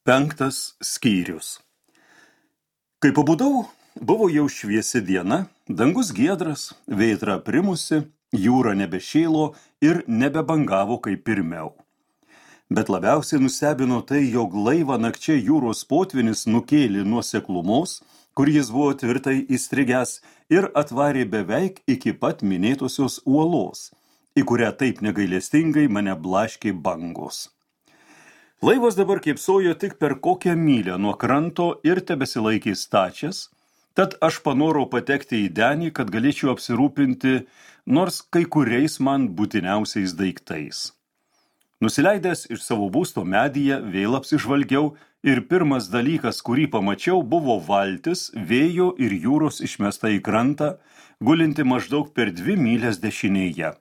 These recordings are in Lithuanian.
Penktas skyrius. Kai pabudau, buvo jau šviesi diena, dangus giedras, vėtra primusi, jūra nebešėlo ir nebebangavo kaip pirmiau. Bet labiausiai nustebino tai, jog laivą nakčia jūros potvynis nukėlė nuo seklumos, kur jis buvo tvirtai įstrigęs, ir atvarė beveik iki pat minėtosios uolos, į kurią taip negailestingai mane blaškė bangos. Laivas dabar kėpsojo tik per kokią mylę nuo kranto ir tebesilaikė stačias, tad aš panorau patekti į denį, kad galėčiau apsirūpinti nors kai kuriais man būtiniausiais daiktais. Nusileidęs iš savo būsto medyje, vėl apsižvalgiau ir pirmas dalykas, kurį pamačiau, buvo valtis, vėjo ir jūros išmesta į krantą, gulinti maždaug per 2 mylias dešinėje.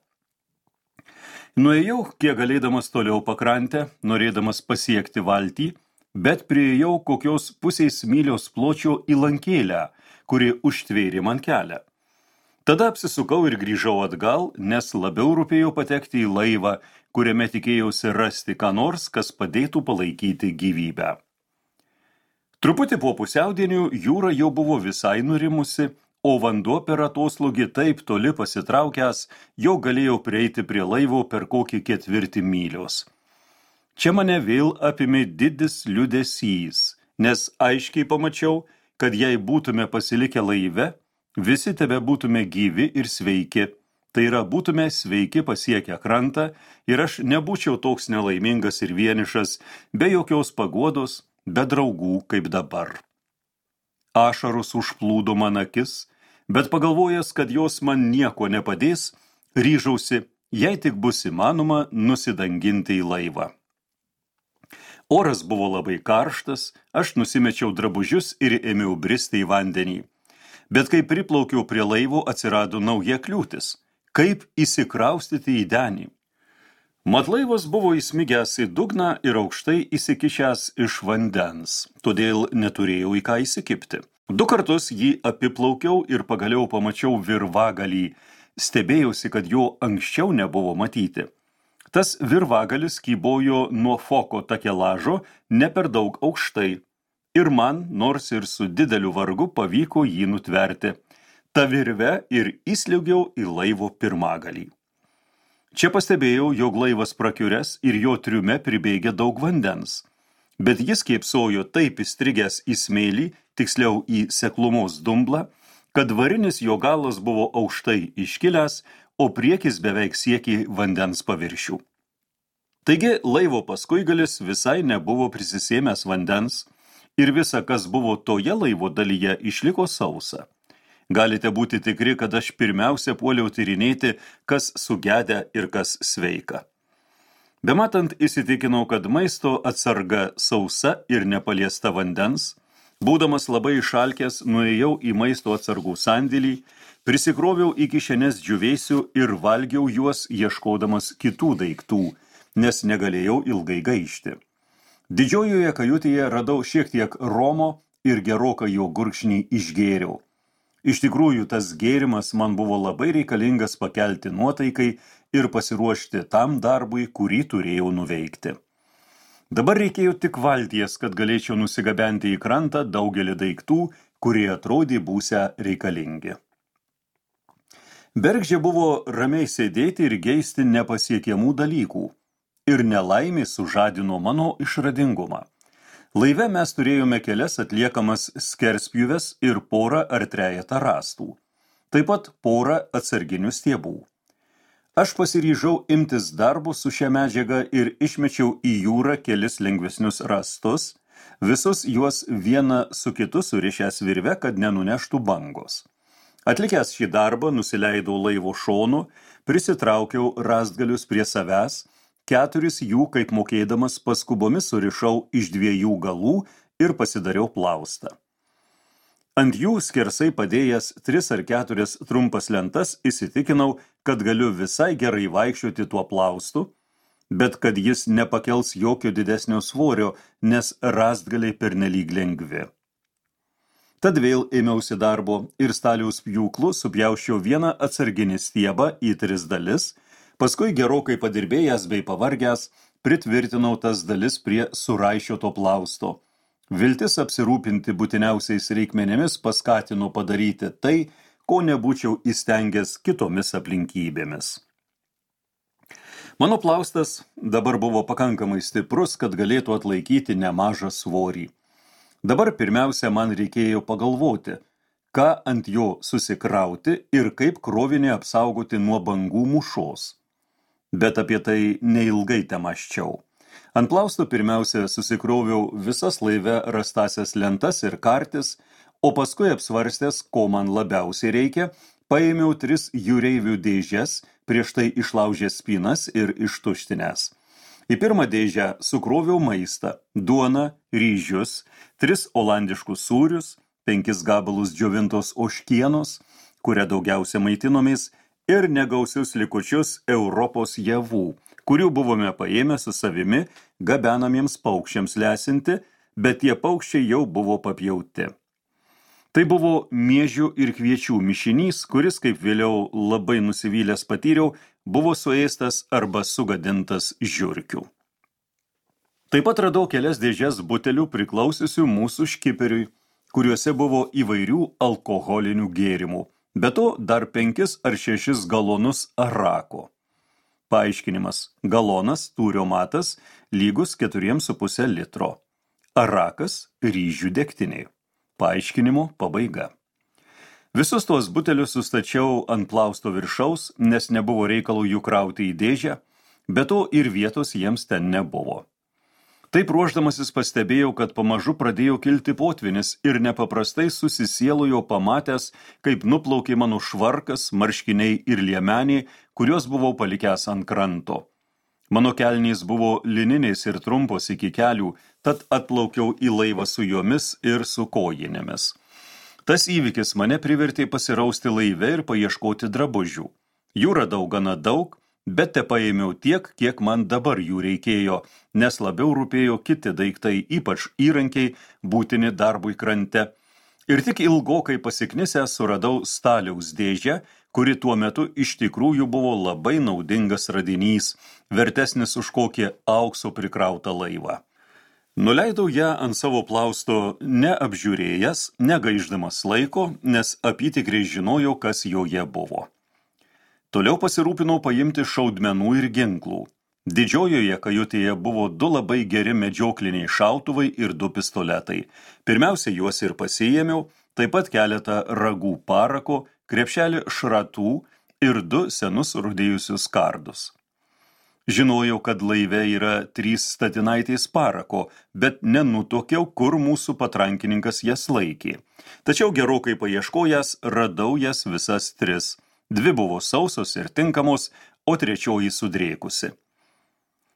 Nuėjau, kiek galėdamas toliau pakrantę, norėdamas pasiekti valtį, bet priėjau kokios pusės mylios pločio įlankėlę, kuri užtvėrė man kelią. Tada apsisukau ir grįžau atgal, nes labiau rūpėjo patekti į laivą, kuriame tikėjausi rasti ką nors, kas padėtų palaikyti gyvybę. Truputį po pusiaudienių jūra jau buvo visai nurimusi, o vanduo per atoslūgį taip toli pasitraukęs, jau galėjau prieiti prie laivo per kokį 4 mylios. Čia mane vėl apėmė didis liūdesys, nes aiškiai pamačiau, kad jei būtume pasilikę laive, visi tebe būtume gyvi ir sveiki. Tai yra, būtume sveiki pasiekę krantą ir aš nebūčiau toks nelaimingas ir vienišas, be jokios paguodos, be draugų kaip dabar. Ašaros užplūdo man akis, bet pagalvojęs, kad jos man nieko nepadės, ryžausi, jei tik bus įmanoma, nusidanginti į laivą. Oras buvo labai karštas, aš nusimečiau drabužius ir ėmiau bristi į vandenį. Bet kai priplaukiau prie laivo, atsirado nauja kliūtis. Kaip įsikraustyti į denį? Mat laivas buvo įsmigęs į dugną ir aukštai įsikišęs iš vandens, todėl neturėjau į ką įsikibti. 2 kartus jį apiplaukiau ir pagaliau pamačiau virvagalį. Stebėjausi, kad jo anksčiau nebuvo matyti. Tas virvagalis kybojo nuo foko takelažo ne per daug aukštai. Ir man, nors ir su dideliu vargu, pavyko jį nutverti. Ta virve ir įsliugiau į laivo pirmagalį. Čia pastebėjau, jog laivas prakiuręs ir jo triume pribėgė daug vandens. Bet jis kėpsojo taip įstrigęs į smėlį, tiksliau į seklumos dumblą, kad varinis jo galas buvo aukštai iškilęs, o priekis beveik siekė vandens paviršių. Taigi laivo paskuigalis visai nebuvo prisisėmęs vandens ir visa, kas buvo toje laivo dalyje, išliko sausa. Galite būti tikri, kad aš pirmiausia puoliau tyrinėti, kas sugedę ir kas sveika. Bematant įsitikinau, kad maisto atsarga sausa ir nepaliesta vandens. Būdamas labai išalkęs, nuėjau į maisto atsargų sandėlį, prisikroviau į kišenes džiūvėsių ir valgiau juos ieškodamas kitų daiktų, nes negalėjau ilgai gaišti. Didžiojoje kajutėje radau šiek tiek romo ir gerokai jo gurkšnį išgėriau. Iš tikrųjų, tas gėrimas man buvo labai reikalingas pakelti nuotaikai ir pasiruošti tam darbui, kurį turėjau nuveikti. Dabar reikėjo tik valties, kad galėčiau nusigabenti į krantą daugelį daiktų, kurie atrodė būsią reikalingi. Bergždžia buvo ramiai sėdėti ir geisti nepasiekiamų dalykų, ir nelaimė sužadino mano išradingumą. Laive mes turėjome kelias atliekamas skerspjūves ir porą ar 3 rąstų, taip pat porą atsarginių stiebų. Aš pasiryžau imtis darbo su šia medžiaga ir išmečiau į jūrą kelis lengvesnius rąstus, visus juos vieną su kitu surišęs virve, kad nenuneštų bangos. Atlikęs šį darbą, nusileidau laivo šonu, prisitraukiau rąstgalius prie savęs, 4 jų, kaip mokėdamas, paskubomis surišau iš 2 galų ir pasidariau plaustą. Ant jų skersai padėjęs 3 ar 4 trumpas lentas, įsitikinau, kad galiu visai gerai vaikščioti tuo plaustu, bet kad jis nepakels jokio didesnio svorio, nes rąstgaliai pernelyg lengvi. Tad vėl ėmiausi darbo ir staliaus pjūklu supjauščiau vieną atsarginį stiebą į 3 dalis, paskui gerokai padirbėjęs bei pavargęs, pritvirtinau tas dalis prie suraišioto plausto. Viltis apsirūpinti būtiniausiais reikmenėmis paskatino padaryti tai, ko nebūčiau įstengęs kitomis aplinkybėmis. Mano plaustas dabar buvo pakankamai stiprus, kad galėtų atlaikyti nemažą svorį. Dabar pirmiausia man reikėjo pagalvoti, ką ant jo susikrauti ir kaip krovinį apsaugoti nuo bangų mūšos. Bet apie tai neilgai temaščiau. Ant plausto pirmiausia susikroviau visas laive rastasias lentas ir kartis, o paskui apsvarstęs, ko man labiausiai reikia, paėmiau 3 jūreivių dėžes, prieš tai išlaužęs spynas ir ištuštinęs. Į pirmą dėžę sukroviau maistą, duoną, ryžius, 3 olandiškus sūrius, 5 gabalus džiovintos ožkienos, kuria daugiausia maitinomės, ir negausius likučius Europos javų, kurių buvome paėmę su savimi gabenamiems paukščiams lesinti, bet tie paukščiai jau buvo papjauti. Tai buvo miežių ir kviečių mišinys, kuris, kaip vėliau labai nusivylęs patyriau, buvo suėstas arba sugadintas žiurkių. Taip pat radau kelias dėžes butelių priklausiusių mūsų škiperiui, kuriuose buvo įvairių alkoholinių gėrimų, be to dar 5 ar 6 galonus arako. Paaiškinimas: galonas, tūrio matas, lygus 4,5 litro. Arakas ryžių degtiniai. Paaiškinimo pabaiga. Visus tuos butelius sustačiau ant plausto viršaus, nes nebuvo reikalų jų krauti į dėžę, be to ir vietos jiems ten nebuvo. Taip ruošdamasis pastebėjau, kad pamažu pradėjo kilti potvynis ir nepaprastai susisielojo pamatęs, kaip nuplaukė mano švarkas, marškiniai ir liemeniai, kuriuos buvau palikęs ant kranto. Mano kelnys buvo lininiais ir trumpos iki kelių, tad atplaukiau į laivą su jomis ir su kojinėmis. Tas įvykis mane privertė pasirausti laive ir paieškoti drabužių. Jų radau gana daug, bet tepaėmiau tiek, kiek man dabar jų reikėjo, nes labiau rūpėjo kiti daiktai, ypač įrankiai, būtini darbui krante. Ir tik ilgokai pasiknisęs suradau staliaus dėžę, kuri tuo metu iš tikrųjų buvo labai naudingas radinys, vertesnis už kokį aukso prikrautą laivą. Nuleidau ją ant savo plausto neapžiūrėjęs, negaiždamas laiko, nes apytikriai žinojau, kas joje buvo. Toliau pasirūpinau paimti šaudmenų ir ginklų. Didžiojoje kajutėje buvo 2 labai geri medžiokliniai šautuvai ir 2 pistoletai. Pirmiausia, juos ir pasiėmiau, taip pat keletą ragų parako, krepšelį šratų ir 2 senus rudėjusius kardus. Žinojau, kad laive yra 3 statinaitės parako, bet nenutuokiau, kur mūsų patrankininkas jas laikė. Tačiau gerokai paieškojęs radau jas visas 3. 2 buvo sausos ir tinkamos, o 3 sudrėkusi.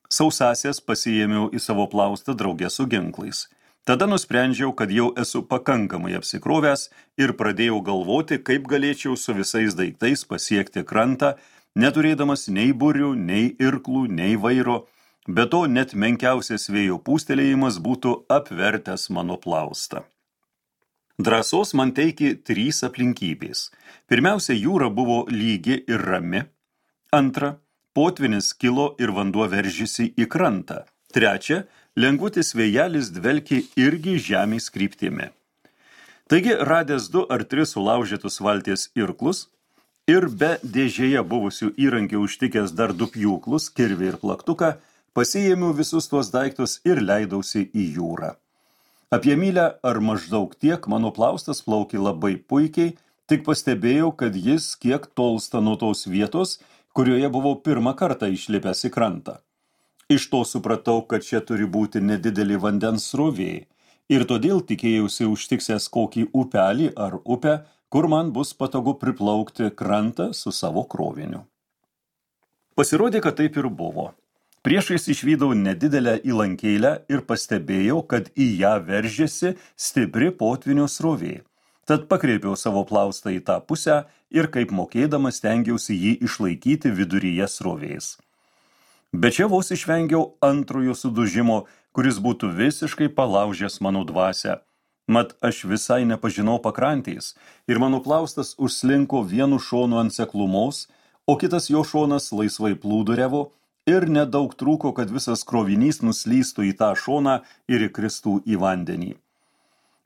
Sausasias pasiėmiau į savo plaustą draugę su ginklais. Tada nusprendžiau, kad jau esu pakankamai apsikrovęs ir pradėjau galvoti, kaip galėčiau su visais daiktais pasiekti krantą, neturėdamas nei burių, nei irklų, nei vairo, be to net menkiausias vėjo pūstelėjimas būtų apvertęs mano plaustą. Drąsos man teikė 3 aplinkybės. Pirmiausia, jūra buvo lygi ir rami. Antra, potvynis kilo ir vanduo veržėsi į krantą. Trečia, lengvutis vėjelis dvelkė irgi žemės kryptimi. Taigi, radęs 2 ar 3 sulaužytus valties irklus ir be dėžėje buvusių įrankių užtikęs dar 2 pjūklus, kirvį ir plaktuką, pasiėmiau visus tuos daiktus ir leidausi į jūrą. Apie mylę ar maždaug tiek mano plaustas plaukė labai puikiai, tik pastebėjau, kad jis kiek tolsta nuo tos vietos, kurioje buvau pirmą kartą išlipęs į krantą. Iš to supratau, kad čia turi būti nedidelį vandens srovė, ir todėl tikėjausi užtiksęs kokį upelį ar upę, kur man bus patogu priplaukti krantą su savo kroviniu. Pasirodė, kad taip ir buvo. Priešais išvydau nedidelę įlankėlę ir pastebėjau, kad į ją veržėsi stipri potvynio srovė. Tad pakreipiau savo plaustą į tą pusę ir kaip mokėdamas stengiausi jį išlaikyti viduryje srovės. Bet čia vos išvengiau antrojo sudužimo, kuris būtų visiškai palaužęs mano dvasią. Mat aš visai nepažinau pakrantės ir mano plaustas užslinko vienu šonu ant seklumos, o kitas jo šonas laisvai plūduriavo ir nedaug trūko, kad visas krovinys nuslystų į tą šoną ir įkristų į vandenį.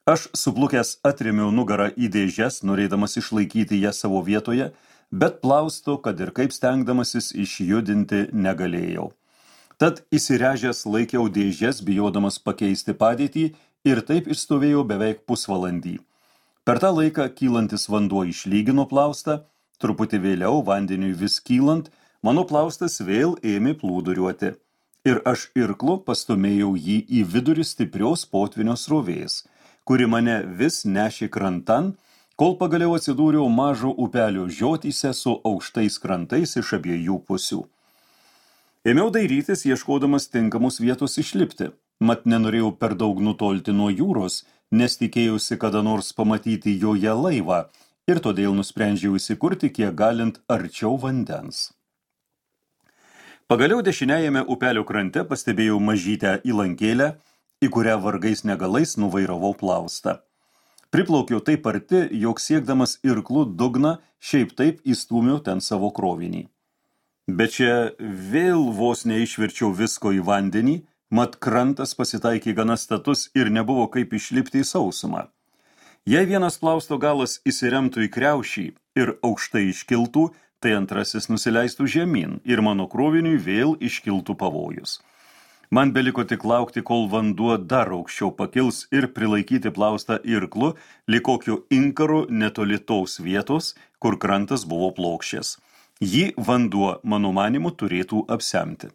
Aš suplukęs atrėmiau nugarą į dėžes, norėdamas išlaikyti ją savo vietoje, bet plausto, kad ir kaip stengdamasis išjudinti negalėjau. Tad įsiręžęs laikiau dėžes, bijodamas pakeisti padėtį, ir taip išstovėjau beveik pusvalandį. Per tą laiką kylantis vanduo išlygino plaustą, truputį vėliau vandeniui vis kylant, mano plaustas vėl ėmė plūduriuoti. Ir aš irklu pastumėjau jį į vidurį stiprios potvynio srovės, kuri mane vis nešė krantan, kol pagaliau atsidūriau mažo upelio žiotyse su aukštais krantais iš abiejų pusių. Ėmiau dairytis, ieškodamas tinkamos vietos išlipti, mat nenorėjau per daug nutolti nuo jūros, nes tikėjausi kada nors pamatyti joje laivą ir todėl nusprendžiau įsikurti kiek galint arčiau vandens. Pagaliau dešiniajame upelio krante pastebėjau mažytę įlankėlę, į kurią vargais negalais nuvairavau plaustą. Priplaukiau taip arti, jog siekdamas irklu dugną, šiaip taip įstūmiau ten savo krovinį. Bet čia vėl vos neišverčiau visko į vandenį, mat krantas pasitaikė gana status ir nebuvo kaip išlipti į sausumą. Jei vienas plausto galas įsiremtų į kriaušį ir aukštai iškiltų, tai antrasis nusileistų žemyn ir mano kroviniui vėl iškiltų pavojus. Man beliko tik laukti, kol vanduo dar aukščiau pakils ir prilaikyti plaustą irklu, lyg kokiu inkaru netoli tos vietos, kur krantas buvo plokščias. Jį vanduo, mano manimu, turėtų apsemti.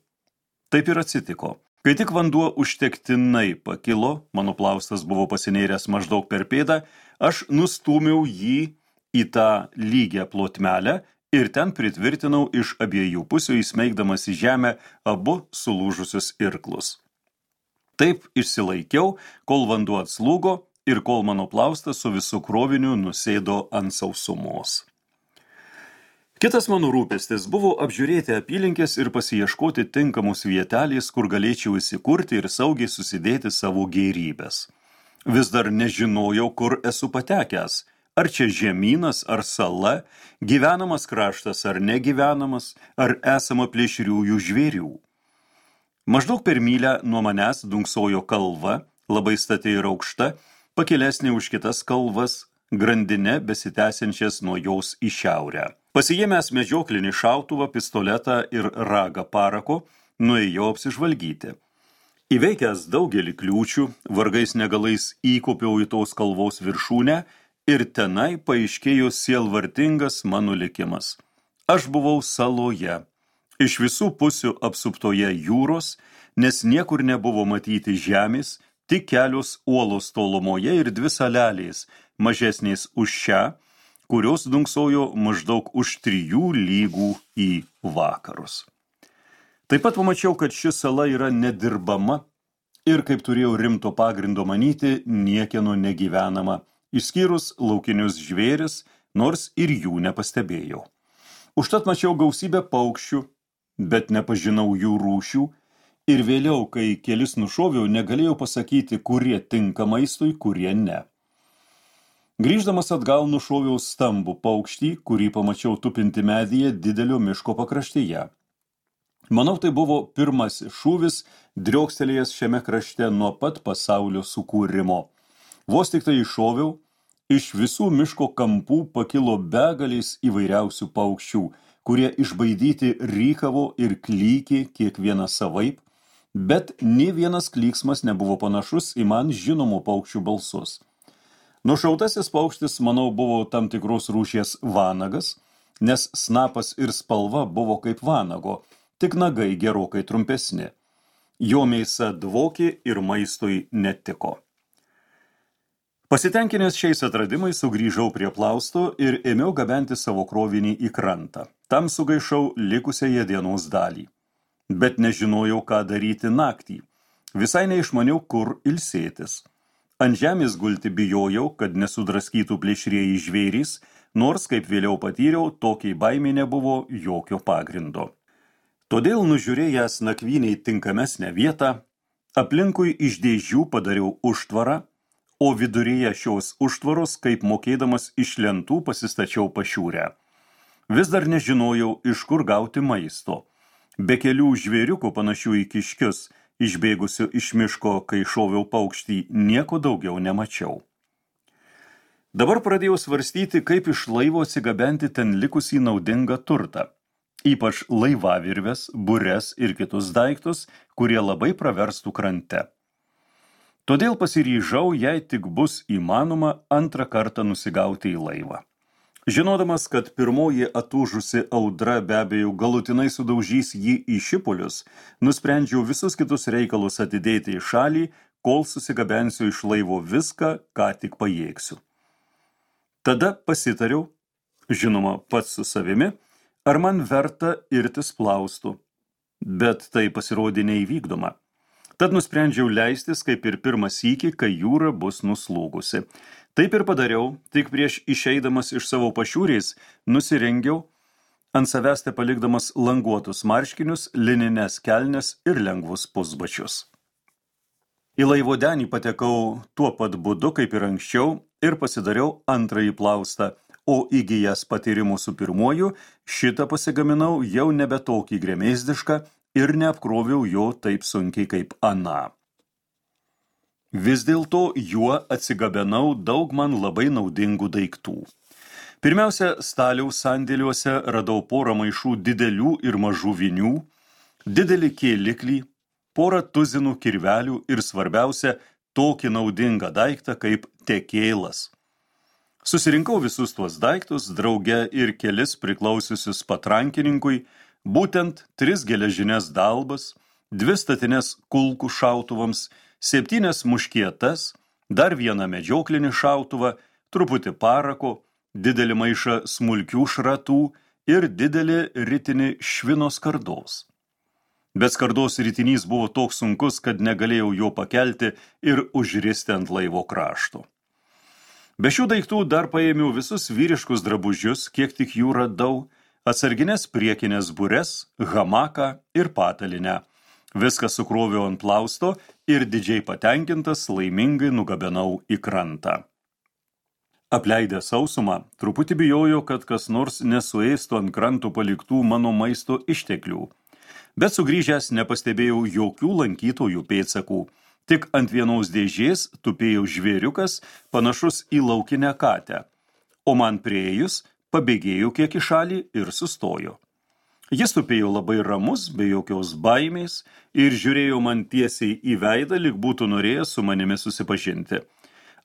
Taip ir atsitiko. Kai tik vanduo užtektinai pakilo, mano plaustas buvo pasinėręs maždaug per pėdą, aš nustūmiau jį į tą lygią plotmelę ir ten pritvirtinau iš abiejų pusių, įsmeigdamas į žemę abu sulūžusius irklus. Taip išsilaikiau, kol vanduo atslūgo ir kol mano plaustas su visu kroviniu nusėdo ant sausumos. Kitas mano rūpestis buvo apžiūrėti apylinkės ir pasiieškoti tinkamos vietelės, kur galėčiau įsikurti ir saugiai susidėti savo gėrybės. Vis dar nežinojau, kur esu patekęs, ar čia žemynas, ar sala, gyvenamas kraštas ar negyvenamas, ar esama plėšriųjų žvėrių. Maždaug per mylę nuo manęs dunksojo kalva, labai stati ir aukšta, pakilesnė už kitas kalvas, grandine besitęsiančias nuo jos į šiaurę. Pasiėmęs medžioklinį šautuvą, pistoletą ir ragą parako, nuėjau apsižvalgyti. Įveikęs daugelį kliūčių, vargais negalais įkopiau į tos kalvos viršūnę ir tenai paaiškėjo sielvartingas mano likimas. Aš buvau saloje, iš visų pusių apsuptoje jūros, nes niekur nebuvo matyti žemės, tik kelios uolos tolumoje ir 2 salelės, mažesnės už šią, kurios dunksojo maždaug už 3 lygų į vakarus. Taip pat pamačiau, kad ši sala yra nedirbama ir, kaip turėjau rimto pagrindo manyti, niekieno negyvenama, išskyrus laukinius žvėris, nors ir jų nepastebėjau. Užtat mačiau gausybę paukščių, bet nepažinau jų rūšių, ir vėliau, kai kelis nušoviau, negalėjau pasakyti, kurie tinka maistui, kurie ne. Grįždamas atgal nušoviau stambų paukštį, kurį pamačiau tupinti medyje didelio miško pakraštyje. Manau, tai buvo pirmasis šūvis, driokstelėjęs šiame krašte nuo pat pasaulio sukūrimo. Vos tik tai iššoviau, iš visų miško kampų pakilo begalės įvairiausių paukščių, kurie išbaidyti rykavo ir klykė kiekvieną savaip, bet nė vienas klyksmas nebuvo panašus į man žinomų paukščių balsus. Nušautasis paukštis, manau, buvo tam tikros rūšies vanagas, nes snapas ir spalva buvo kaip vanago, tik nagai gerokai trumpesni. Jo mėsa dvokė ir maistui netiko. Pasitenkinęs šiais atradimais sugrįžau prie plausto ir ėmiau gabenti savo krovinį į krantą. Tam sugaišau likusiąją dienos dalį. Bet nežinojau, ką daryti naktį. Visai neišmaniau, kur ilsėtis. Ant žemės gulti bijojau, kad nesudraskytų plėšrieji žvėrys, nors, kaip vėliau patyriau, tokiai baimei nebuvo jokio pagrindo. Todėl nužiūrėjęs nakvyniai tinkamesnę vietą, aplinkui iš dėžių padariau užtvarą, o viduryje šios užtvaros, kaip mokėdamas iš lentų, pasistačiau pašiūrę. Vis dar nežinojau, iš kur gauti maisto, Be kelių žvėriukų panašių į kiškius, išbėgusių iš miško, kai šoviau paukštį, nieko daugiau nemačiau. Dabar pradėjau svarstyti, kaip iš laivo atsigabenti ten likusį naudingą turtą, ypač laivavirves, bures ir kitus daiktus, kurie labai praverstų krante. Todėl pasiryžau, jei tik bus įmanoma, antrą kartą nusigauti į laivą. Žinodamas, kad pirmoji atūžusi audra be abejo galutinai sudaužys jį į šipulius, nusprendžiau visus kitus reikalus atidėti į šalį, kol susigabensiu iš laivo viską, ką tik pajėgsiu. Tada pasitariau, žinoma, pats su savimi, ar man verta irtis plaustų, bet tai pasirodė neįvykdoma. Tad nusprendžiau leistis kaip ir pirmą sykį, kai jūra bus nuslūgusi. Taip ir padariau, tik prieš išeidamas iš savo pašiūrės nusirengiau, ant savęs te palikdamas languotus marškinius, linines kelnes ir lengvus pusbačius. Į laivo denį patekau tuo pat būdu, kaip ir anksčiau, ir pasidariau antrąjį plaustą, o įgijęs patyrimų su pirmuoju, šitą pasigaminau jau nebe tokį gremėzdišką ir neapkroviau jo taip sunkiai kaip aną. Vis dėlto juo atsigabenau daug man labai naudingų daiktų. Pirmiausia, staliaus sandėliuose radau porą maišų didelių ir mažų vinių, didelį kėliklį, porą tuzinų kirvelių ir svarbiausia, tokį naudingą daiktą kaip tekėlas. Susirinkau visus tuos daiktus, drauge ir kelis priklausiusius patrankininkui, būtent 3 geležines dalbas, 2 statines kulkų šautuvams, 7 muškietas, dar 1 medžioklinį šautuvą, truputį parako, didelį maišą smulkių šratų ir didelį ritinį švino skardos. Bet skardos ritinys buvo toks sunkus, kad negalėjau jo pakelti ir užristi ant laivo krašto. Be šių daiktų dar paėmiau visus vyriškus drabužius, kiek tik jų radau, atsarginės priekinės bures, hamaką ir patalinę. Viską sukroviau ant plausto ir didžiai patenkintas laimingai nugabenau į krantą. Apleidęs sausumą, truputį bijojau, kad kas nors nesuėstų ant krantų paliktų mano maisto išteklių. Bet sugrįžęs nepastebėjau jokių lankytojų pėdsakų. Tik ant vienos dėžės tupėjo žvėriukas, panašus į laukinę katę, o man priėjus pabėgėjo kiek į šalį ir sustojo. Jis tupėjo labai ramus, be jokios baimės, ir žiūrėjo man tiesiai į veidą, lyg būtų norėjęs su manimi susipažinti.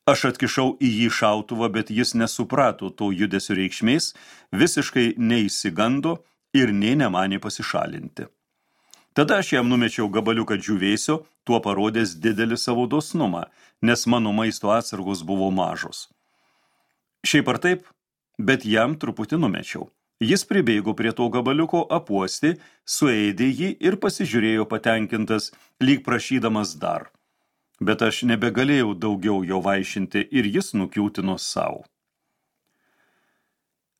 Aš atkišau į jį šautuvą, bet jis nesuprato to judesio reikšmės, visiškai neįsigando ir nė nemanė pasišalinti. Tada aš jam numečiau gabaliuką džiūvėsio, tuo parodęs didelį savo dosnumą, nes mano maisto atsargos buvo mažos. Šiaip ar taip, bet jam truputį numečiau. Jis pribėgo prie to gabaliuko, apuosti, suėdė jį ir pasižiūrėjo patenkintas, lyg prašydamas dar. Bet aš nebegalėjau daugiau jo vaišinti ir jis nukiūtino savo.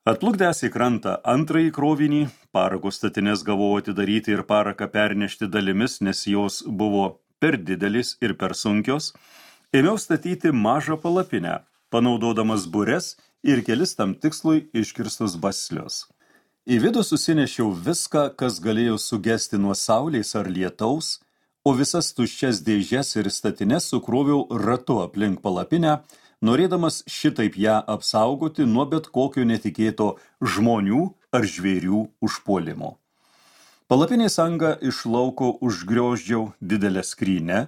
Atplukdęs į krantą antrąjį krovinį, parako statines gavau atidaryti ir paraką pernešti dalimis, nes jos buvo per didelis ir per sunkios, ėmiau statyti mažą palapinę, panaudodamas bures ir kelis tam tikslui iškirstus baslius. Į vidų susinešiau viską, kas galėjo sugesti nuo saulės ar lietaus, o visas tuščias dėžes ir statines sukroviau ratu aplink palapinę, norėdamas šitaip ją apsaugoti nuo bet kokio netikėto žmonių ar žvėrių užpuolimo. Palapinės angą iš lauko užgrioždžiau didelę skrynę,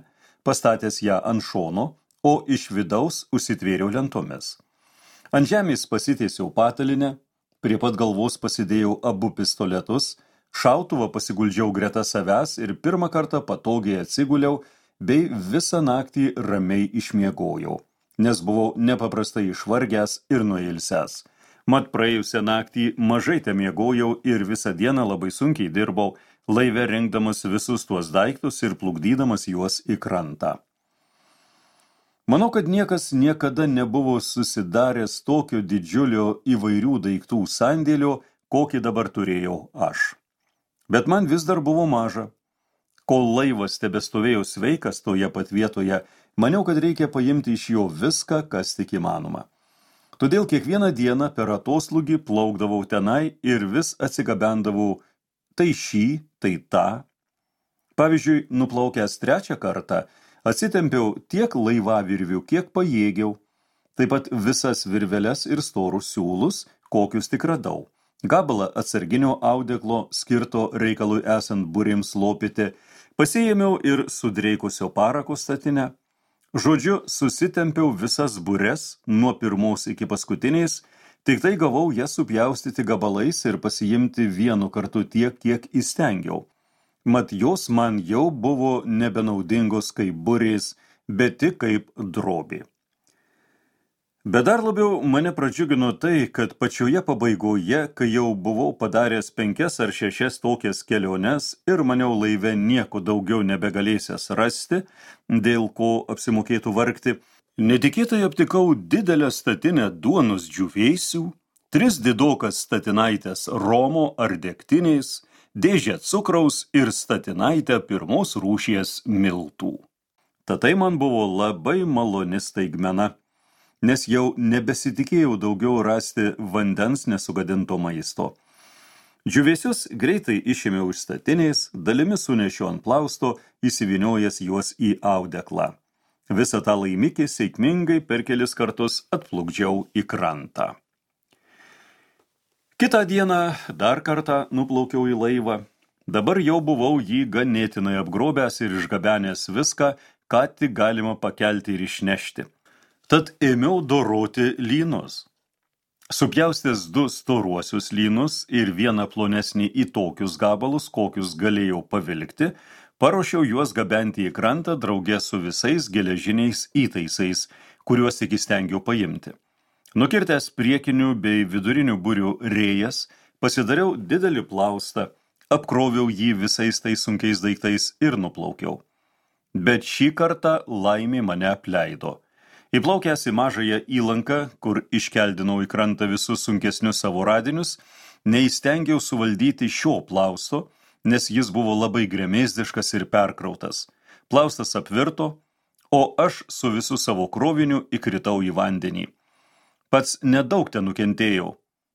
pastatęs ją ant šono, o iš vidaus užsitvėriau lentomis. Ant žemės pasitiesiau patalinę, prie pat galvos pasidėjau abu pistoletus, šautuvą pasiguldžiau greta savęs ir pirmą kartą patogiai atsiguliau, bei visą naktį ramiai išmiegojau, nes buvau nepaprastai išvargęs ir nuilsęs. Mat praėjusią naktį mažai temiegojau ir visą dieną labai sunkiai dirbau, laive rengdamas visus tuos daiktus ir plukdydamas juos į krantą. Manau, kad niekas niekada nebuvo susidaręs tokio didžiulio įvairių daiktų sandėlio, kokį dabar turėjau aš. Bet man vis dar buvo maža. Kol laivas tebestovėjo sveikas toje pat vietoje, maniau, kad reikia paimti iš jo viską, kas tik įmanoma. Todėl kiekvieną dieną per atoslūgį plaukdavau tenai ir vis atsigabendavau tai šį, tai tą. Pavyzdžiui, nuplaukęs 3 kartą, atsitempiau tiek laivavirvių, kiek pajėgiau, taip pat visas virveles ir storus siūlus, kokius tik radau. Gabalą atsarginio audeklo, skirto reikalui esant burėms lopyti, pasiėmiau ir sudreikusio parako statinę. Žodžiu, susitempiau visas bures nuo pirmos iki paskutinės, tik tai gavau jas supjaustyti gabalais ir pasiimti vienu kartu tiek, kiek įstengiau. Mat jos man jau buvo nebenaudingos kaip burės, bet tik kaip drobė. Bet dar labiau mane pradžiugino tai, kad pačioje pabaigoje, kai jau buvau padaręs 5 ar 6 tokias keliones ir maniau laive nieko daugiau nebegalėsias rasti, dėl ko apsimokėtų vargti, netikėtai aptikau didelę statinę duonos džiūvėsių, 3 didokas statinaitės romo ar degtinės, dėžę cukraus ir statinaitę pirmos rūšies miltų. Tad tai man buvo labai maloni staigmena, nes jau nebesitikėjau daugiau rasti vandens nesugadinto maisto. Džiūvėsius greitai išėmiau iš statinės, dalimi sunešiau ant plausto, įsivyniojęs juos į audeklą. Visą tą laimikį sėkmingai per kelis kartus atplukdžiau į krantą. Kitą dieną dar kartą nuplaukiau į laivą. Dabar jau buvau jį ganėtinai apgrobęs ir išgabenęs viską, ką tik galima pakelti ir išnešti. Tad ėmiau doroti lynus. Supjaustęs 2 storuosius lynus ir vieną plonesnį į tokius gabalus, kokius galėjau pavilkti, paruošiau juos gabenti į krantą drauge su visais geležiniais įtaisais, kuriuos tik įstengiau paimti. Nukirtęs priekinių bei vidurinių burių rėjas, pasidariau didelį plaustą, apkroviau jį visais tais sunkiais daiktais ir nuplaukiau. Bet šį kartą laimė mane apleido. Įplaukęs į mažąją įlanką, kur iškeldinau į krantą visus sunkesnius savo radinius, neįstengiau suvaldyti šio plausto, nes jis buvo labai gremėzdiškas ir perkrautas. Plaustas apvirto, o aš su visu savo kroviniu įkritau į vandenį. Pats nedaug ten nukentėjau,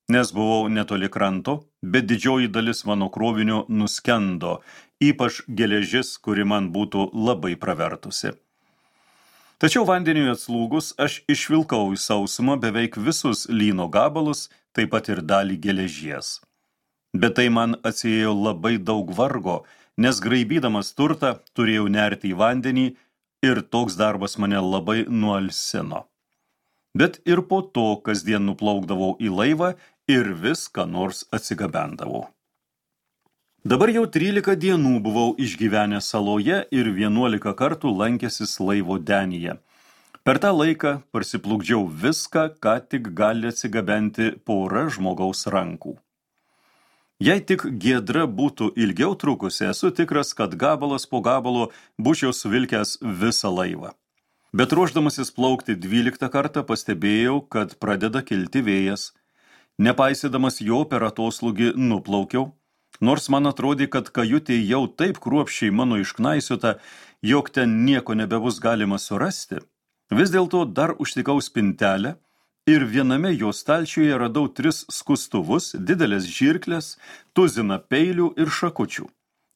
nes buvau netoli kranto, bet didžioji dalis mano krovinio nuskendo, ypač geležis, kuri man būtų labai pravertusi. Tačiau vandeniui atslūgus aš išvilkau į sausumą beveik visus lyno gabalus, taip pat ir dalį geležies. Bet tai man atsiėjo labai daug vargo, nes graibydamas turtą turėjau nerti į vandenį ir toks darbas mane labai nualsino. Bet ir po to kasdien nuplaukdavau į laivą ir vis ką nors atsigabendavau. Dabar jau 13 dienų buvau išgyvenęs saloje ir 11 kartų lankęsis laivo denyje. Per tą laiką parsiplukdžiau viską, ką tik gali atsigabenti pora žmogaus rankų. Jei tik giedra būtų ilgiau trukusi, esu tikras, kad gabalas po gabalo būčiau suvilkęs visą laivą. Bet ruošdamasis plaukti 12 kartą pastebėjau, kad pradeda kilti vėjas. Nepaisydamas jo per atoslūgį nuplaukiau, nors man atrodė, kad kajutė jau taip kruopščiai mano išknaisiota, jog ten nieko nebebus galima surasti. Vis dėlto dar užtikau spintelę ir viename jo stalčiuje radau 3 skustuvus, didelės žirklės, tuziną peilių ir šakučių.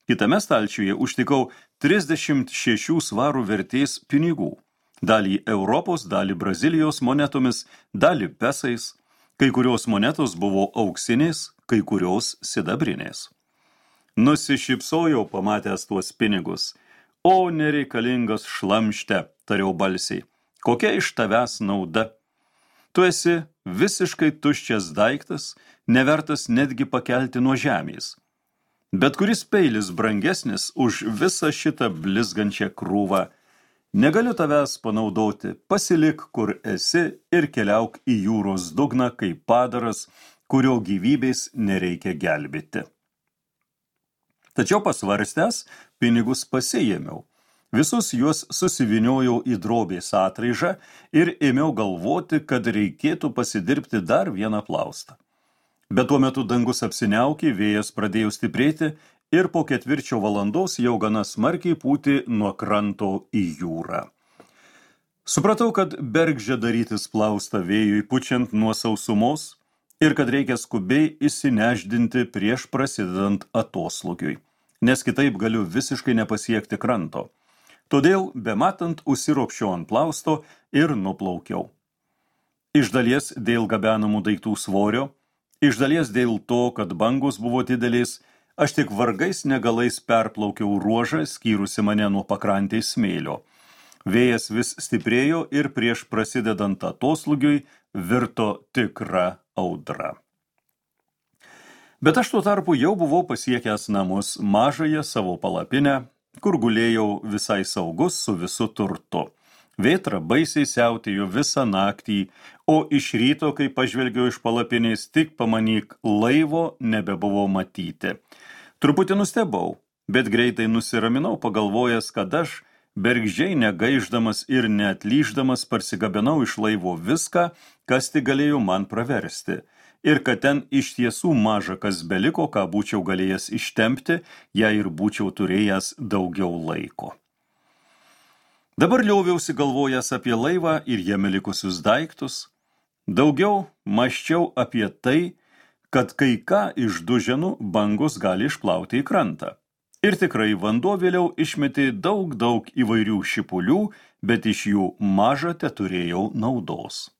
Kitame stalčiuje užtikau 36 svarų vertės pinigų. Dalį Europos, dalį Brazilijos monetomis, dalį pesais. Kai kurios monetos buvo auksinės, kai kurios sidabrinės. Nusišypsojau pamatęs tuos pinigus. O nereikalingas šlamšte, tariau balsiai. Kokia iš tavęs nauda? Tu esi visiškai tuščias daiktas, nevertas netgi pakelti nuo žemės. Bet kuris peilis brangesnis už visą šitą blizgančią krūvą. Negaliu tavęs panaudoti, pasilik, kur esi ir keliauk į jūros dugną kaip padaras, kurio gyvybės nereikia gelbėti. Tačiau pasvarstęs, pinigus pasiėmiau. Visus juos susiviniojau į drobės atraižą ir ėmiau galvoti, kad reikėtų pasidirbti dar vieną plaustą. Bet tuo metu dangus apsiniaukė, vėjas pradėjo stiprėti ir po 4 valandos jau gana smarkiai pūtė nuo kranto į jūrą. Supratau, kad bergždžia darytis plaustą vėjui pučiant nuo sausumos ir kad reikia skubiai įsineždinti prieš prasidedant atoslūgiui, nes kitaip galiu visiškai nepasiekti kranto. Todėl, bematant, užsiropščiau ant plausto ir nuplaukiau. Iš dalies dėl gabenamų daiktų svorio, iš dalies dėl to, kad bangos buvo didelės, aš tik vargais negalais perplaukiau ruožą, skyrusi mane nuo pakrantės smėlio. Vėjas vis stiprėjo ir prieš prasidedant atoslūgiui virto tikra audra. Bet aš tuo tarpu jau buvau pasiekęs namus, mažąją savo palapinę, kur gulėjau visai saugus su visu turtu. Vėtra baisiai siautėjo visą naktį, o iš ryto, kai pažvelgiau iš palapinės, tik pamanyk, laivo nebebuvo matyti. Truputį nustebau, bet greitai nusiraminau, pagalvojęs, kad aš, bergždžiai negaiždamas ir neatlyždamas, parsigabenau iš laivo viską, kas tik galėjo man praversti, ir kad ten iš tiesų maža kas beliko, ką būčiau galėjęs ištempti, jei ir būčiau turėjęs daugiau laiko. Dabar lioviausi galvojęs apie laivą ir jame likusius daiktus. Daugiau mąsčiau apie tai, kad kai ką iš duženų bangos gali išplauti į krantą. Ir tikrai vanduo vėliau išmetė daug įvairių šipulių, bet iš jų maža teturėjau naudos.